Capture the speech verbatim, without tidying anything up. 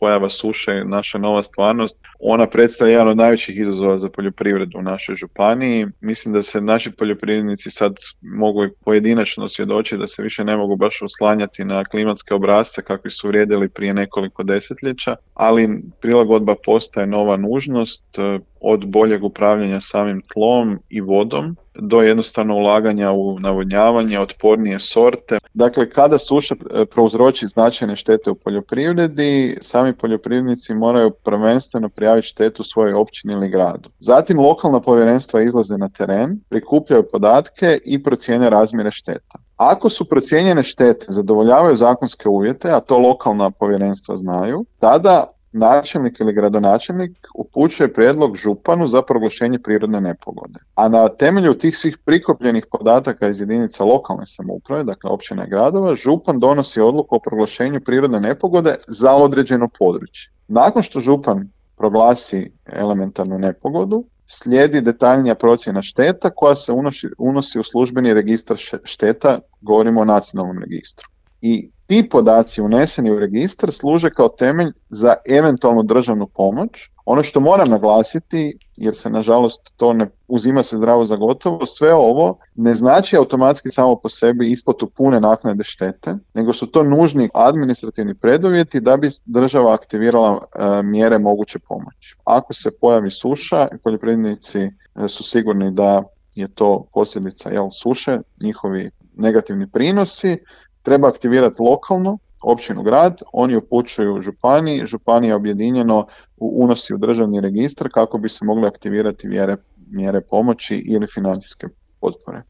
pojava suše je naša nova stvarnost. Ona predstavlja jedan od najvećih izazova za poljoprivredu u našoj županiji. Mislim da se naši poljoprivrednici sad mogu i pojedinačno svjedočiti da se više ne mogu baš oslanjati na klimatske obrasce kakvi su vrijedili prije nekoliko desetljeća, ali prilagodba postaje nova nužnost, od boljeg upravljanja samim tlom i vodom do jednostavno ulaganja u navodnjavanje, otpornije sorte. Dakle, kada suša prouzroči značajne štete u poljoprivredi, sami poljoprivrednici moraju prvenstveno prijaviti štetu svojoj općini ili gradu. Zatim lokalna povjerenstva izlaze na teren, prikupljaju podatke i procjene razmjere šteta. Ako su procijenjene štete zadovoljavaju zakonske uvjete, a to lokalna povjerenstva znaju, tada načelnik ili gradonačelnik upućuje prijedlog županu za proglašenje prirodne nepogode. A na temelju tih svih prikupljenih podataka iz jedinica lokalne samouprave, dakle općina i gradova, župan donosi odluku o proglašenju prirodne nepogode za određeno područje. Nakon što župan proglasi elementarnu nepogodu, slijedi detaljnija procjena šteta koja se unosi, unosi u službeni registar šteta, govorimo o nacionalnom registru. I ti podaci uneseni u registar služe kao temelj za eventualnu državnu pomoć. Ono što moram naglasiti, jer se nažalost to ne uzima se zdravo za gotovo, sve ovo ne znači automatski samo po sebi isplatu pune naknade štete, nego su to nužni administrativni preduvjeti da bi država aktivirala e, mjere moguće pomoći. Ako se pojavi suša, poljoprivrednici e, su sigurni da je to posljedica jel, suše, njihovi negativni prinosi, treba aktivirati lokalno, općinu, grad, oni upućuju županiji, županija objedinjeno unosi u državni registar kako bi se mogle aktivirati mjere, mjere pomoći ili financijske potpore.